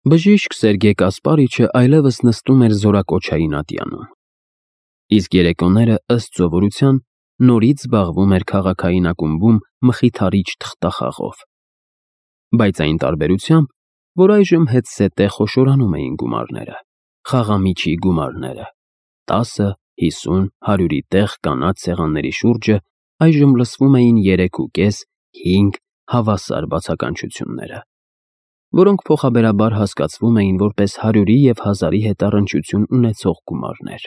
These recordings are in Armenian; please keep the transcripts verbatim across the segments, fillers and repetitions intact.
Բժիշկ Սերգեյ Կասպարիչը այլևս նստում էր զորակոչային ատյանում, իսկ երեկոները, ըստ սովորության, նորից զբաղվում էր քաղաքային ակումբում մխիթարիչ թղթախաղով, բայց այն տարբերությամբ, որ այժմ հետզհետե խոշորանում էին գումարները, խաղամիջի գումարները, տասը, հիսուն, հարյուրի տեղ կանաչ սեղանների շուրջը այժմ լսվում էին երեք ու կես, հինգ հավասար բացականչությունները, որոնք փոխաբերաբար հասկացվում էին որպես հարյուրի և հազարի հետ առնչություն ունեցող գումարներ։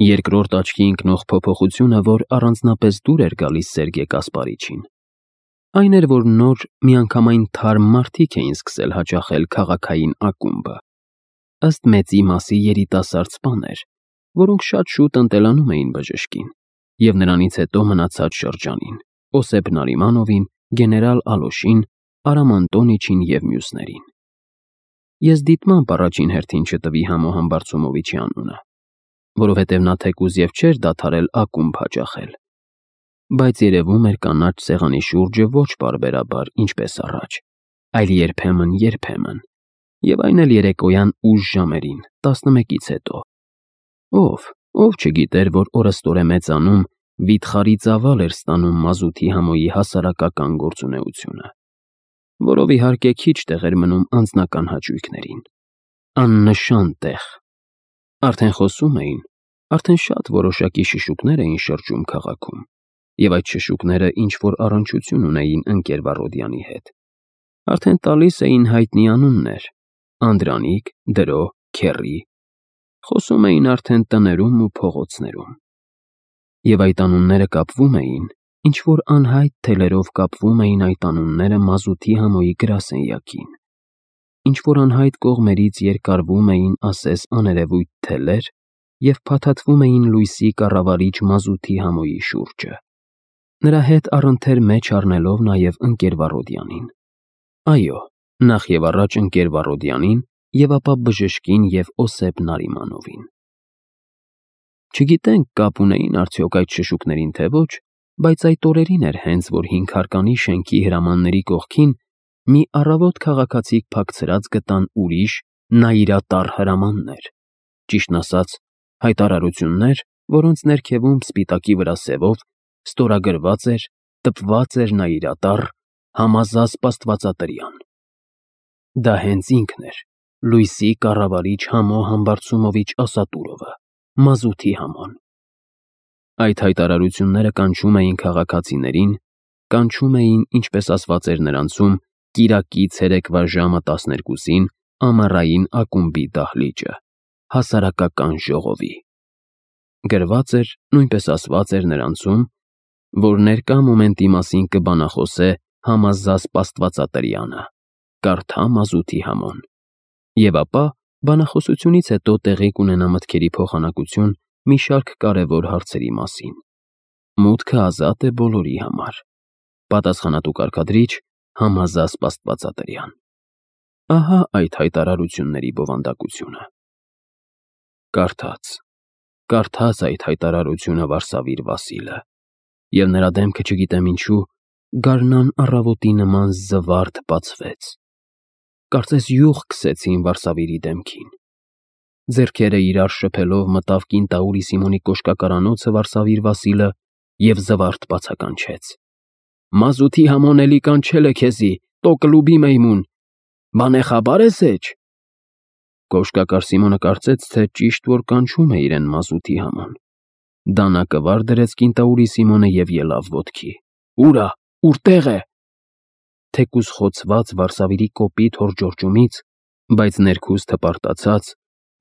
Երկրորդ աչքի ընկնող փոփոխությունը, որ առանձնապես դուր էր գալիս Սերգեյ Կասպարիչին, այն էր, որ նոր միանգամայն թարմ մարդիկ էին սկսել հաճախել քաղաքային ակումբը, ըստ մեծի մասի երիտասարդ սպաներ, որոնք շատ շուտ ընտելանում էին բժշկին և նրանից հետո մնացած շրջանին՝ Օսիպ Նարիմանովին, գեներալ Ալոշին, Արամ Անտոնիչին և մյուսներին։ Ես դիտմամբ առաջին հերթին չտվի Համո Համբարձումովիչի անունը, որովհետև նա թեկուզ և չէր դադարել ակումբ հաճախել, բայց երևում էր կանաչ սեղանի շուրջը ոչ պարբերաբար, ինչպես առաջ, այլ երբեմն֊երբեմն, և այն էլ երեկոյան ուշ ժամերին, տասնմեկից հետո։ Ով, ով չգիտեր, որ օրըստօրե մեծանում, վիթխարի ծավալ էր ստանում մազութի Համոյի հասարակական գործունեությունը, որով իհարկե քիչ տեղ էր մնում անձնական հաճույքներին, աննշան տեղ։ Արդեն խոսում էին, արդեն շատ որոշակի շշուկներ էին շրջում քաղաքում, և այդ շշուկները ինչ-որ առնչություն ունեին ընկեր Վառոդյանի հետ, արդեն տալիս էին հայտնի անուններ՝ Անդրանիկ, Դրո, Քեռի, խոսում էին արդեն տներում ու փողոցներում։ Եվ այդ անունները կապվում էին, ինչ-որ անհայտ թելերով կապվում էին այդ անունները մազութի Համոյի գրասենյակին, ինչ-որ անհայտ կողմերից երկարվում էին ասես աներևույթ թելեր և փաթաթվում էին լույսի կառավարիչ մազութի Համոյի շուրջը, նրա հետ առընթեր մեջ առնելով նաև ընկեր Վառոդյանին, այո, նախ և առաջ ընկեր Վառոդյանին և ապա բժշկին և Օսիպ Նարիմանովին։ Չգիտենք կապ ունեին արդյոք այդ շշուկներին, թե ոչ, բայց այդ օրերին էր հենց, որ հինգհարկանի շենքի հրամանների կողքին մի առավոտ քաղաքացիք փակցրած գտան ուրիշ, նայիրատառ հրամաններ, ճիշտն ասած, հայտարարություններ, որոնց ներքևում սպիտակի վրա սևով ստորագրված էր, տպված էր նայիրատառ Համազասպ Աստվածատրյան։ Դա հենց ինքն էր, լույսի կառավարիչ Համո Համբարձումովիչ Ասատուրովը, մազութի Համոն։ Այդ հայտարարությունները կանչում էին քաղաքացիներին, կանչում էին, ինչպես ասված էր նրանցում, կիրակի ցերեկվա ժամը տասներկուսին ամառային ակումբի դահլիճը, հասարակական ժողովի։ Գրված էր, նույնպես ասված էր նրանցում, որ ներկա մոմենտի մասին կբանախոսե Համազասպ Աստվածատրյանը, կարդա մազութի Համոն, և ապա բանախոսությունից հետո տեղի կունենա մտքերի փոխանակություն մի շարք կարևոր հարցերի մասին։ Մուտքը ազատ է բոլորի համար։ Պատասխանատու կարգադրիչ Համազասպ Աստվածատրյան։ Ահա այդ հայտարարությունների բովանդակությունը։ Կարդաց, կարդաց այդ հայտարարությունը Վարսավիր Վասիլը, և նրա դեմքը, չգիտեմ ինչու, գարնան առավոտի նման զվարթ բացվեց, կարծես յուղ քսեցին Վարսավիրի դեմքին։ Ձեռքերը իրար շփելով մտավ կինտաուրի Սիմոնի կոշկակարանոցը Վարսավիր Վասիլը և զվարթ բացականչեց. «Մազութի Համոն էլի կանչել է քեզի, տո կլուբի մեյմուն, բանե խաբար ես էջ»։ Կոշկակար Սիմոնը կարծեց, թե ճիշտ որ կանչում է իրեն մազութի Համոն։ Դանակը վար դրեց կինտաուրի Սիմոնը և ելավ ոտքի։ «Ուր ա, ուրտեղ է»։ Թեկուզ խոցված Վարսավիրի կոպիտ հորջորջումից, բայց ներքուստ հպարտացած,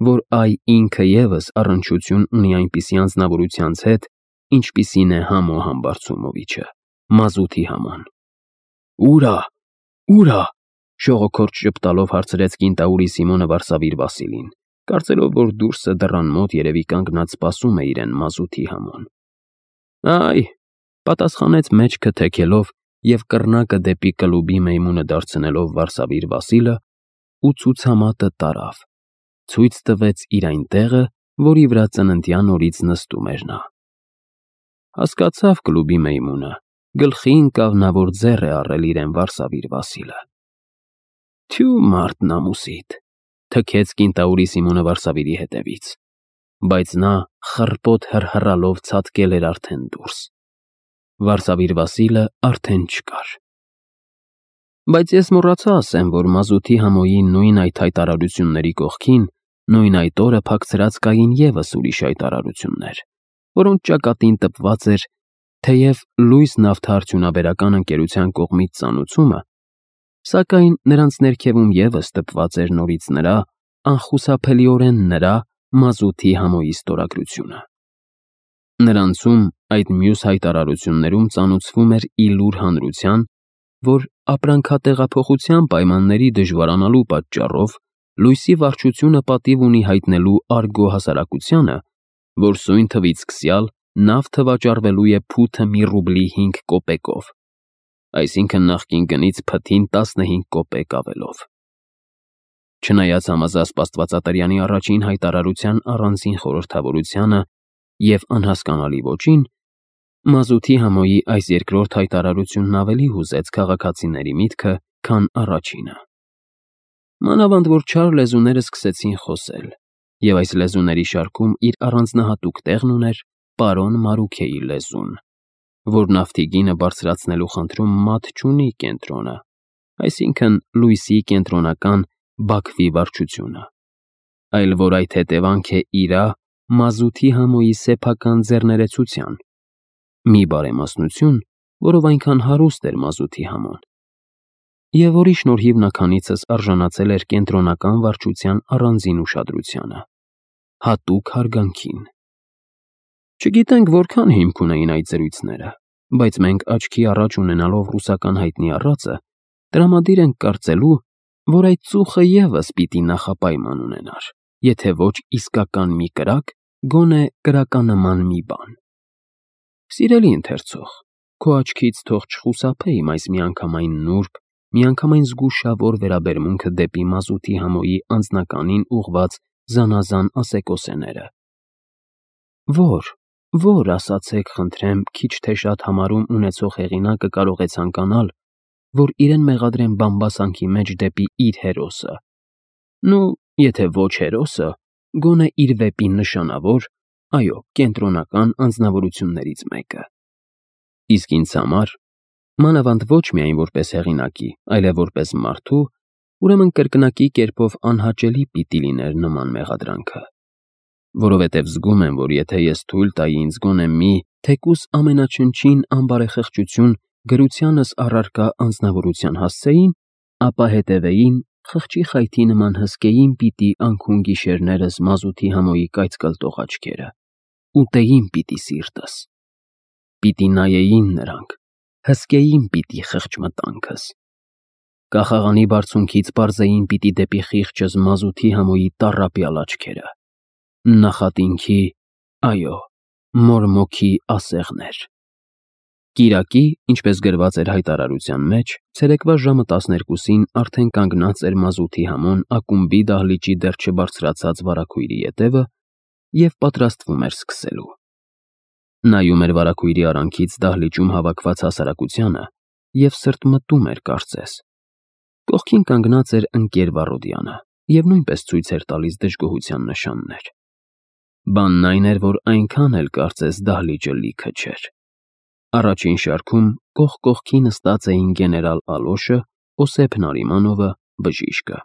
որ այ ինքը ևս առնչություն ունի այնպիսի անձնավորությանց հետ, ինչպիսին է Համո Համբարձումովիչը, մազութի Համոն։ «Ուր ա, ուր ա»։ Շողոքորթ ժպտալով հարցրեց կինտաուրի Սիմոնը Վարսավիր Վասիլին, կարծելով, որ դուրսը դռան մոտ երևի կանգնած սպասում է իրեն մազութի Համոն։ «Այ», պատասխանեց մեջքը թեքելով և կռնակը դեպի կլուբի մեյմունը դարձնելով Վարսավիր Վասիլը ու ցուցամատը տարավ, ցույց տվեց իր այն տեղը, որի վրա ծննդյան օրից նստում էր նա։ Հասկացավ կլուբի մեյմունը, գլխի ընկավ նա, որ ձեռ է առել իրեն Վարսավիր Վասիլը։ Թյու մարդն ամուսիդ, թքեց կինտաուրի Սիմոնը Վարսավիրի հետևից, բայց նա խռպոտ հռհռալով ցատկել էր արդեն դուրս։ Վարսավիր Վասիլը արդեն չկար։ Բայց ես մոռացա ասեմ, որ մազութի համոյի նույն այդ հայտարարությունների կողքին նույն այդ օրը փակցրած կային ևս ուրիշ հայտարարություններ, որոնց ճակատին տպված էր, թեև լույս նավթարդյունաբերական ընկերության կողմից ծանուցումը, սակայն նրանց ներքևում ևս տպված էր նորից նրա, անխուսափելիորեն նրա մազութի համոյի ստորագրությունը։ Նրանցում այդ մյուս հայտարարություններում ծանուցվում էր ի լուր հանրության, որ ապրանքատեղափոխության պայմանների դժվարանալու պատճառով լույսի վարչությունը պատիվ ունի հայտնելու Արգո հասարակությանը, որ սույն թվից սկսյալ նավթը վաճառվելու է փութը մի ռուբլի հինգ կոպեկով, այսինքն նախկին գնից փթին տասնհինգ կոպեկ ավելով։ Չնայած համազասպ Աստվածատրյանի առաջին հայտարարության առանձին խորհրդավորությանը և անհասկանալի ոճին, մազութի համոյի այս երկրորդ հայտարարությունն ավելի հուզեց քաղաքացիների միտքը, քան առաջինը։ Մանավանդ որ չար լեզուները սկսեցին խոսել, և այս լեզուների շարքում իր առանձնահատուկ տեղն ուներ պարոն Մարուքեի լեզուն, որ նավթի գինը բարձրացնելու խնդրում մատ չունի կենտրոնը, այսինքն լույսի կենտրոնական Բաքվի վարչությունը, այլ որ այդ հետևանք է իրա մազութի համոյի սեփական ձեռներեցության, մի բարեմասնություն, որով այնքան հարուստ էր մազութի համոն, և որի շնորհիվ նա քանիցս արժանացել էր կենտրոնական վարչության առանձին ուշադրությանը, հատուկ հարգանքին։ Չգիտենք որքան հիմք ունեին այդ զրույցները, բայց մենք աչքի առաջ ունենալով ռուսական հայտնի առածը, տրամադիր ենք կարծելու, որ այդ ծուխը ևս պիտի նախապայման ունենար, եթե ոչ իսկական մի կրակ, գոնե կրականման մի բան։ Սիրելի ընթերցող, քո աչքից թող չխուսափե իմ այս միանգամայն նուրբ, միանգամայն զգուշավոր վերաբերմունքը դեպի մազութի համոյի անձնականին ուղղված զանազան ասեկոսեները։ Որ, որ, ասացեք, խնդրեմ, քիչ թե շատ համարում ունեցող հեղինակը կարող է ցանկանալ, որ իրեն մեղադրեն բամբասանքի մեջ դեպի իր հերոսը, նու, եթե ոչ հերոսը, գոնե իր վեպի նշանավոր, այո, կենտրոնական անձնավորություններից մեկը։ Իսկ ինձ համար, մանավանդ ոչ միայն որպես հեղինակի, այլև որպես մարդու, ուրեմն կրկնակի կերպով անհաճելի պիտի լիներ նման մեղադրանքը, որովհետև զգում եմ, որ եթե ես թույլ տայի ինձ գոնե մի, թեկուզ ամենաչնչին ամբարեխղճություն գրությանս առարկա անձնավորության հասցեին, ապա հետևեին խղճի խայթի նման հսկեին պիտի անքուն գիշերներս մազութի համոյի կայծկլտող աչքերը, ուտեին պիտի սիրտս, պիտի նայեին նրանք, հսկեին պիտի խղճմտանքս, կախաղանի բարձունքից պարզեին պիտի դեպի խիղճս մազութի համոյի տառապյալ աչքերը, նախատինքի, այո, մորմոքի ասեղներ։ Կիրակի, ինչպես գրված էր հայտարարության մեջ, ցերեկվա ժամը տասներկուսին արդեն կանգնած էր մազութի համոն ակումբի դահլիճի դեռ չբարձրացած վարագույրի ետևը և պատրաստվում էր սկսելու։ Նայում էր վարագույրի արանքից դահլիճում հավաքված հասարակությանը և սրտմտում էր կարծես։ Կողքին կանգնած էր ընկեր Վառոդյանը և նույնպես ցույց էր տալիս դժգոհության նշաններ։ Բանն այն էր, որ այնքան էլ կարծես դահլիճը լիքը չէր։ Առաջին շարքում կողք կողքի նստած էին գեներալ Ալոշը, Օսեփ Նարիմանովը, բժիշկը։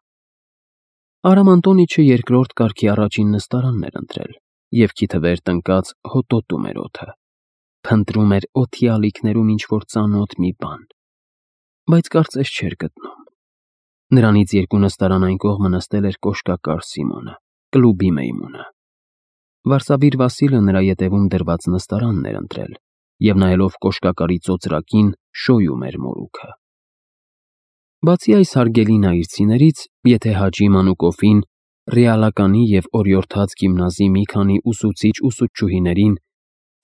Արամ Անտոնիչը երկրորդ կարգի առաջին նստարանն էր ընտրել և քիթվեր տնկած հոտոտում էր օդը, փնտրում էր օդի ալիքներում ինչ-որ ծանոթ մի բան, բայց կարծես չէր գտնում։ Նրանից երկու նստարան այն կողմը նստել էր կոշկակար Սիմոնը, կլուբի մեյմունը։ Վարսավիր Վասիլը նրա ետևում դրված նստարանն էր ընտրել և նայելով կոշկակարի ծոծրակին շոյում էր մորուքը։ Բացի այս հարգելի նայիրցիներից, եթե Հաջի Մանուկովին, ռեալականի և օրիորդաց գիմնազի մի քանի ուսուցիչ֊ուսուցչուհիներին,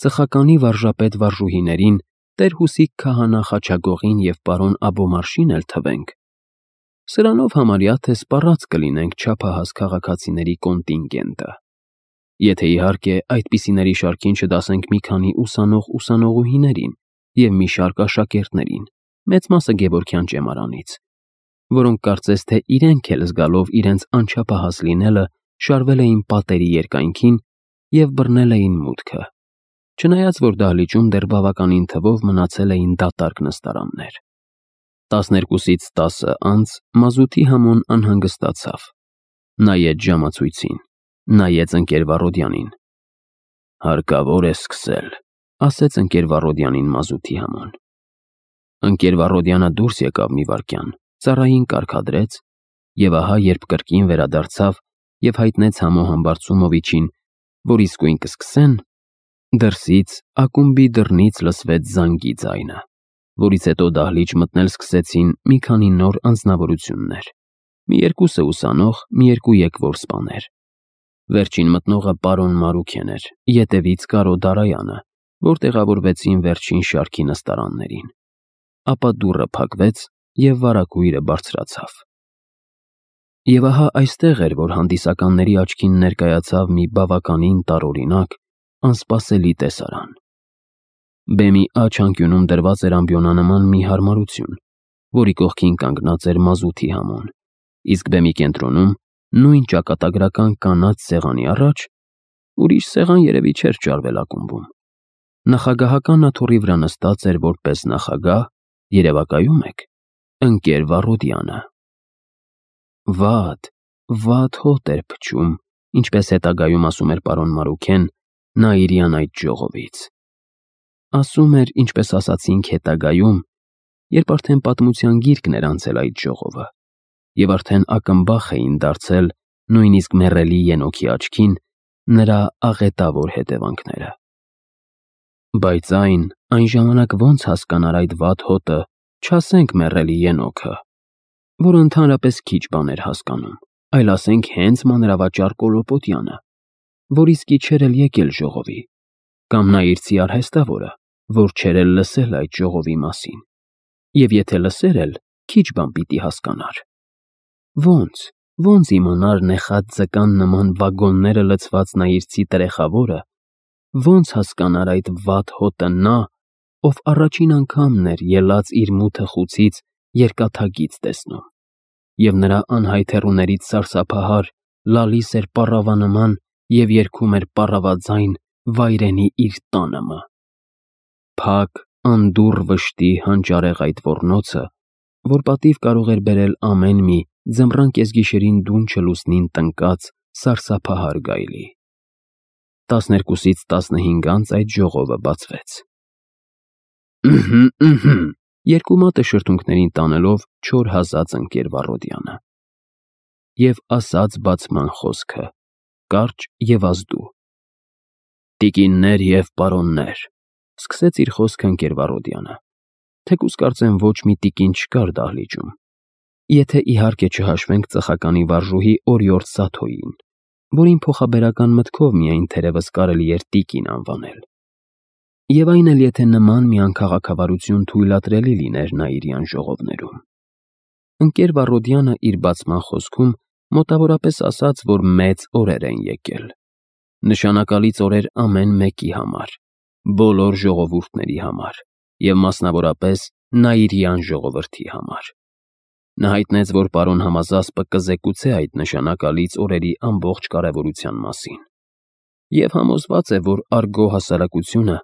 ծխականի վարժապետ վարժուհիներին, տեր-Հուսիկ քահանա Խաչագողին և պարոն Աբոմարշին էլ թվենք, սրանով համարյա թե սպառած կլինենք չափահաս քաղաքացիների կոնտինգենտը, եթե իհարկե այդպիսիների շարքին չդասենք մի քանի ուսանող-ուսանողուհիներին և մի շարք աշակերտներին, մեծ մասը Գևորգյան ճեմարանից, որոնք կարծես թե իրենք էլ զգալով իրենց անչափահաս լինելը շարվել էին պատերի երկայնքին և բռնել էին մուտքը, չնայած որ դահլիճում դեռ բավականին թվով մնացել էին դատարկ նստարաններ։ Տասներկուսից տասը անց մազութի Համոն անհանգստացավ, նայեց ժամացույցին, նայեց ընկեր Վառոդյանին։ «Հարկավոր է սկսել», ասեց ընկեր Վառոդյանին մազութի Համոն։ Ընկեր Վառոդյանը դուրս եկավ մի վայրկյան, ծառային կարգադրեց, և ահա երբ կրկին վերադարձավ և հայտնեց Համո Համբարձումովիչին, որ իսկույն կսկսեն, դրսից ակումբի դռնից լսվեց զանգի ձայնը, որից հետո դահլիճ մտնել սկսեցին մի քանի նոր անձնավորություններ, մի երկուսը ուսանող, մի երկու եկվոր սպաներ։ Վերջին մտնողը պարոն Մարուքեն էր, ետևից Կարո Դարայանը, որ տեղավորվեցին վերջին շարքի նստարաններին։ Ապա դուռը փակվեց, և վարագույրը բարձրացավ։ Եվ ահա այստեղ էր, որ հանդիսականների աչքին ներկայացավ մի բավականին տարօրինակ, անսպասելի տեսարան։ Բեմի աջ անկյունում դրված էր ամբիոնանման մի հարմարություն, որի կողքին կանգնած էր մազութի Համոն, իսկ բեմի կենտրոնում, նույն ճակատագրական կանաչ սեղանի առաջ, ուրիշ սեղան երևի չէր ճարվել ակումբում, նախագահական աթոռի վրա նստած էր որպես նախագահ, երևակայում եք, ընկեր Վառոդյանը։ Վատ, վատ հոտ էր փչում, ինչպես հետագայում ասում էր պարոն Մարուքեն, Նաիրյան այդ ժողովից։ Ասում էր, ինչպես ասացինք հետագայում, երբ արդեն պատմության գիրկն էր անցել այդ ժողովը, և արդեն ակմբախ էին դարձել նույնիսկ մեռելի Ենոքի աչքին նրա աղետավոր հետևանքները։ Բայց այն, այն ժամանակ ոնց հասկանար այդ վատ հոտը, չասենք մեռելի Ենոքը, որը ընդհանրապես քիչ բան էր հասկանում, այլ ասենք հենց մանրավաճառ Կոլոպոտյանը, որ իսկի չէր էլ եկել ժողովի, կամ նա իր ծի արհեստավորը, որ չէր էլ լսել այդ ժողովի մասին, և եթե լսեր էլ, քիչ բան պիտի հասկանար։ Ոնց, ոնց իմանար նեխած ձկան նման վագոնները լցված նա իր ծի տրեխավորը, ոնց հասկանար այդ վատ հոտը նա, ով առաջին անգամն էր ելած իր մութը խուցից երկաթագիծ տեսնում, և նրա անհայտ հեռուներից սարսափահար լալիս էր պառավանման և երգում էր պառավաձայն վայրենի իր տանըմը։ Փակ, անդուռ վշտի հանճարեղ այդ ոռնոցը, որ պատիվ կարող էր բերել ամեն մի ձմռան կեսգիշերին դուն չլուսնին տնկած սարսափահար գայլի։ Տասներկուսից տասնհինգ անց այդ ժողովը բացվեց։ «Ըհը, ըհը», երկու մատը շրթունքներին տանելով չոր հազաց ընկեր Վառոդյանը։ Եվ ասաց բացման խոսքը, կարճ և ազդու. «Տիկիններ և պարոններ», սկսեց իր խոսքը ընկեր Վառոդյանը, թեկուզ կարծեմ ոչ մի տիկին չկար դահլիճում, եթե իհարկե չհաշվենք ծխականի վարժուհի օրիորդ Սաթոյին, որին փոխաբերական մտքով միայն թերևս կարելի էր տիկին անվանել, և այն էլ եթե նման մի անքաղաքավարություն թույլատրելի լիներ Նաիրյան ժողովներում։ Ընկեր Վառոդյանը իր բացման խոսքում մոտավորապես ասաց, որ մեծ օրեր են եկել, նշանակալից օրեր ամեն մեկի համար, բոլոր ժողովուրդների համար և մասնավորապես Նաիրյան ժողովրդի համար։ Նա հայտնեց, որ պարոն Համազասպը կզեկուցե այդ նշանակալից օրերի ամբողջ կարևորության մասին, և համոզված է, որ արգո հասարակությունը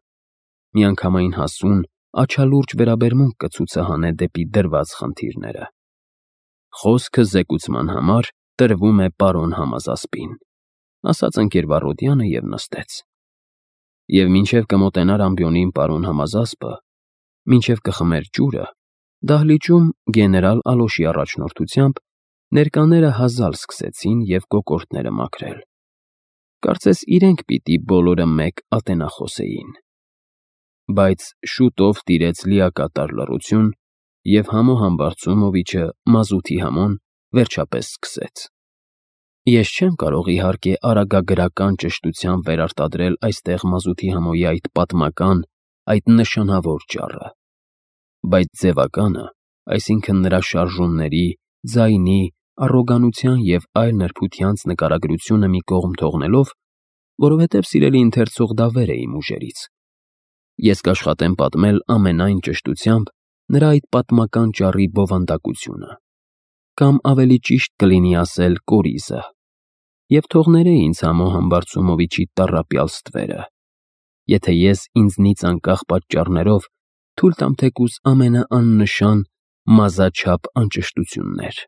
միանգամայն հասուն, աչալուրջ վերաբերմունք կցուցահանե դեպի դրված խնդիրները։ Խոսքը զեկուցման համար տրվում է պարոն Համազասպին, ասաց ընկեր Վառոդյանը և նստեց։ Եվ մինչև կմոտենար ամբիոնին պարոն Համազասպը, մինչև կխմեր ջուրը, դահլիճում գեներալ Ալոշի առաջնորդությամբ ներկաները հազալ սկսեցին և կոկորդները մաքրել։ Կարծես իրենք պիտի բոլորը մեկ ատենախոս էին։ Բայց շուտով տիրեց լիակատար լռություն, և Համո Համբարձումովիչը, մազութի Համոն, վերջապես սկսեց. Ես չեմ կարող իհարկե արագագրական ճշտությամբ վերարտադրել այստեղ մազութի Համոյի այդ պատմական, այդ նշանավոր ճառը, բայց ձևականը, այսինքն նրա շարժումների, ձայնի, առոգանության և այլ նրբությանց նկարագրությունը մի կողմ թողնելով, որովհետև սիրելի ընթերցող դա վեր է իմ ուժերից, ես կաշխատեմ պատմել ամենայն ճշտությամբ նրա այդ պատմական ճառի բովանդակությունը, կամ ավելի ճիշտ կլինի ասել կորիզը, և թող ներե ինձ Համոհան Բարձունովիչի տառապյալ ստվերը, եթե ես ինձնից անկախ պատճառներով թույլ տամ թեկուզ ամենաաննշան, մազաչափ անճշտություններ։